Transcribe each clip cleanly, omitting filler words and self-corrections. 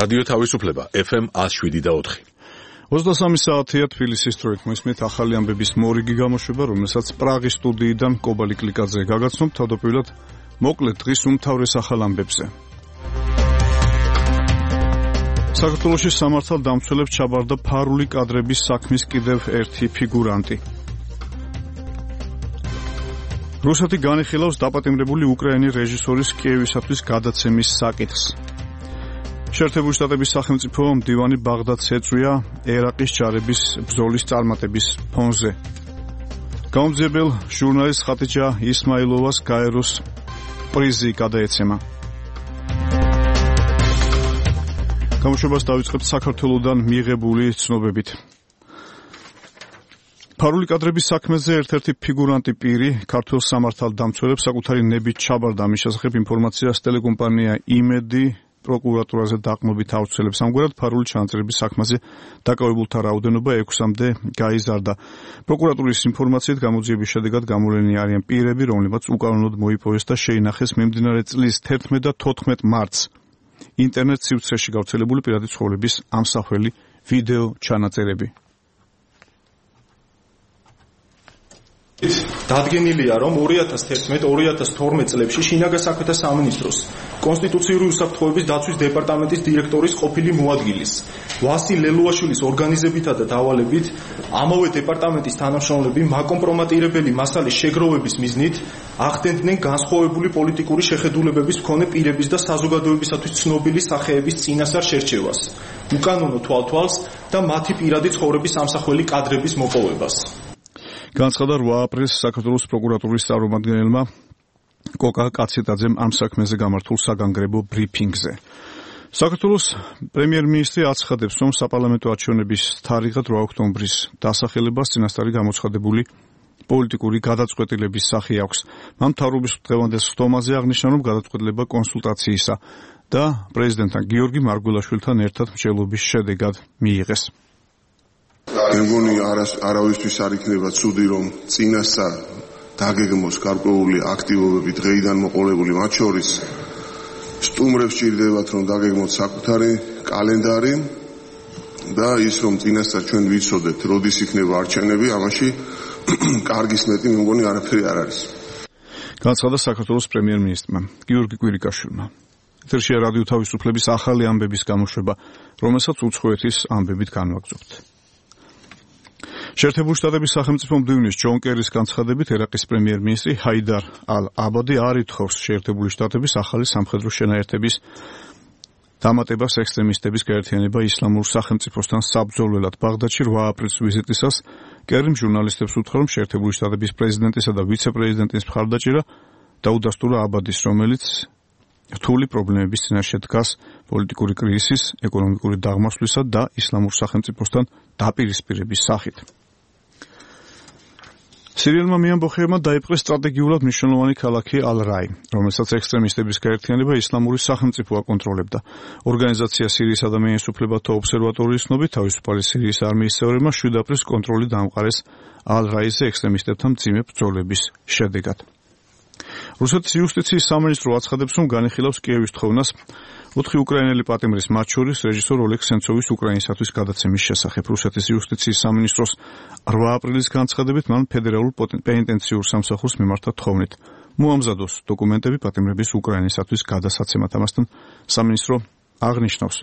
რადიო თავისუფლება FM 107.4. 23 საათია თბილისის დროით მოისმენთ ახალი ამბების მორიგი გამოშვება, რომელსაც პრაღის სტუდიიდან კობალი კლიკაძე გაგაცნობთ. თავდაპირველად მოკლედ დღის უმთავრეს ახალ ამბებზე. საქართველოში სამართალდამცველებს ჩაბარდა ფარული კადრების საქმის კიდევ ერთი ფიგურანტი. რუსეთი განიხილავს დაპატიმრებული უკრაინის რეჟისორის კიევისათვის გადაცემის საკითხს. შეერთებული შტატების სახელმწიფო მდივანი ბაღდადს ეწვია ერაყის ჯარების ბრძოლის წარმატების ფონზე. გამომძიებელ ჟურნალისტ ხატიჯა ისმაილოვას გაეროს პრიზი გადაეცემა. გამოშვებას დავიწყებთ საქართველოსდან მიღებული ცნობებით. ფარული კადრების საქმეზე ერთ-ერთი ფიგურანტი პირი ქართულ სამართალდამცველებს საკუთარი ნებით ჩაბარდა. ამის შესახებ ინფორმაციას ტელეკომპანია იმედი პროკურატურაზე დაყრდნობით აუცილებს. ამგვარად ფარული ჩანაწერების საქმეზე დაკავებულთა რაოდენობა 6-მდე გაიზარდა. პროკურატურის ინფორმაციით გამოძიების შედეგად გამოვლენილი არიან პირები, რომლებმაც უკანონოდ მოიპოვეს და შეინახეს მიმდინარე წლის 11 და 14 მარტს ინტერნეტ სივრცეში გავრცელებული პირადი ცხოვრების ამსახველი ვიდეო ჩანაწერები. დადგენილია, რომ 2011-2012 წლებში შინაგან საქმეთა სამინისტროს კონსტიტუციური უსაფრთხოების დაცვის დეპარტამენტის დირექტორის ყოფილი მოადგილის ვასილ ლელუაშვილის ორგანიზებითა და დავალებით ამავე დეპარტამენტის თანამშრომლები მაკომპრომატირებელი მასალის შეგროვების მიზნით ახდენდნენ განსხვავებული პოლიტიკური შეხედულებების მქონე პირების და საზოგადოებისათვის ცნობილი სახეების წინასწარ შერჩევას, უკანონო თვალთვალს და მათი პირადი ცხოვრების ამსახველი კადრების მოპოვებას. განცხადა 8 აპრილს საქართველოს პროკურატურის წარმომადგენელმა კოკა კაცეტაძემ ამ საქმეზე გამართულ საგანგრებო ბრიფინგზე. საქართველოს პრემიერ-მინისტრი აცხადებს, რომ საპარლამენტო არჩევნების თარიღად 8 ოქტომბრის დასახელებას წინასწარი გამოცხადებული პოლიტიკური გადაწყვეტილების სახე აქვს. მან მთავრობის დღევანდელ სხდომაზე აღნიშნა, რომ გადაწყვეტილება კონსულტაციისა და პრეზიდენტთან გიორგი მარგველაშვილთან ერთად მრჩევლობის შედეგად მიიღეს. მე მგონი არავისთვის არ იქნება ცუდი, რომ წინასწარ დაგეგმოს გარკვეული აქტივობები დღეიდან მოყოლებული, მათ შორის სტუმრებს სჭირდებათ, რომ დაგეგმოთ საკუთარი კალენდარი და ის, რომ წინასწარ ჩვენ ვიცოდეთ, როდის იქნება არჩევნები, ამაში კარგის მეტი მე მგონი არაფერი არ არის. განცხადა საქართველოს პრემიერ-მინისტრმა გიორგი კვირიკაშვილმა. ეთერშია რადიო თავისუფლების ახალი ამბების გამოშვება, რომელსაც უცხოეთის ამბებით განვაგრძობთ. შეერთებული შტატების სახელმწიფო მდივნის ჯონ კერის განცხადებით ერაყის პრემიერ-მინისტრი ჰაიდარ ალ-აბადი არ ითხოვს შეერთებული შტატების ახალი სამხედრო შენაერთების დამატებას ექსტრემისტების გაერთიანება ისლამურ სახელმწიფოსთან საბრძოლველად. ბაღდადში 8 აპრილის ვიზიტისას კერიმ ჟურნალისტებს უთხრა, რომ შეერთებული შტატების პრეზიდენტისა და ვიცე-პრეზიდენტის მხარდაჭერა დაუდასტურა აბადის, რომელიც რთული პრობლემების წინაშე დგას პოლიტიკური კრიზისის, ეკონომიკური დაღმართვლისა და ისლამურ სახელმწიფოსთან დაპირისპირების სახით. სირიელმა მეამბოხეებმა დაიპყრეს სტრატეგიულად მნიშვნელოვანი ქალაქი ალ-რაი, რომელსაც ექსტრემისტების გაერთიანება ისლამური სახელმწიფო აკონტროლებდა. ორგანიზაცია სირიისა და მენის უფლებათა ობსერვატორიის ცნობით, თავისუფალი სირიის არმიის წევრებმა 7 აპრილს კონტროლი დაამყარეს ალ-რაიზე ექსტრემისტებთან მძიმე ბრძოლების შედეგად. რუსეთის იუსტიციის სამინისტრო აცხადებს, რომ განიხილავს კიევის თხოვნას 4 უკრაინელი პატიმრის, მათ შორის რეჟისორ ოლეგ სენცოვის უკრაინისათვის გადაცემის შესახებ. რუსეთის იუსტიციის სამინისტროს 8 აპრილის განცხადებით მან ფედერალურ პენიტენციურ სამსახურს მიმართა თხოვნით მოამზადოს დოკუმენტები პატიმრების უკრაინისათვის გადასაცემად. ამასთან სამინისტრო აღნიშნავს,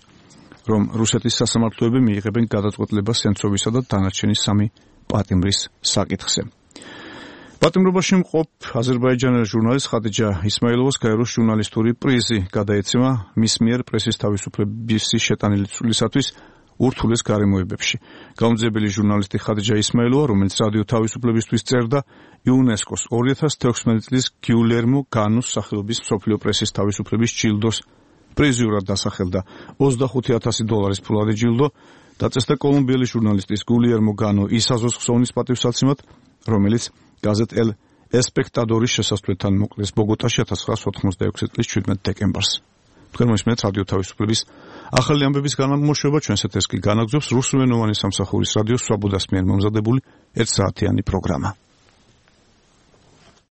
რომ რუსეთის სასამართლოები მიიღებენ გადაწყვეტილებას სენცოვისა და დანარჩენი 3 პატიმრის საკითხზე. პატიმრობაში მყოფ აზერბაიჯანელი ჟურნალისტ ხატიჯა ისმაილოვას გაეროს ჟურნალისტური პრიზი გადაეცემა მის მიერ პრესის თავისუფლების შეტანილი ცვლილისათვის ურთულეს გარემოებებში. გამომძიებელი ჟურნალისტი ხატიჯა ისმაილოვა, რომელიც რადიო თავისუფლებისთვის წერდა, იუნესკოს 2016 წლის გიულერმო განუს სახელობის მსოფლიო პრესის თავისუფლების ჯილდოს პრიზიურად დასახელდა. $25,000 ფულადი ჯილდო დაწესდა კოლუმბიელი ჟურნალისტის გულიერმო განო ისაზოს ხსოვნის პატივსაცემად, რომელიც გაზეთ ელ ესპექტადორის შესასვლელთან მოკლეს ბოგოტაში 1986 წლის 17 დეკემბერს. თქვენ მოსმენთ რადიო თავისუფლების ახალი ამბების განმოშვება, ჩვენს ეთერს კი განაგრძობს რუსულენოვანი სამსახურის რადიო სვაბოდას მიერ მომზადებული 1 საათიანი პროგრამა.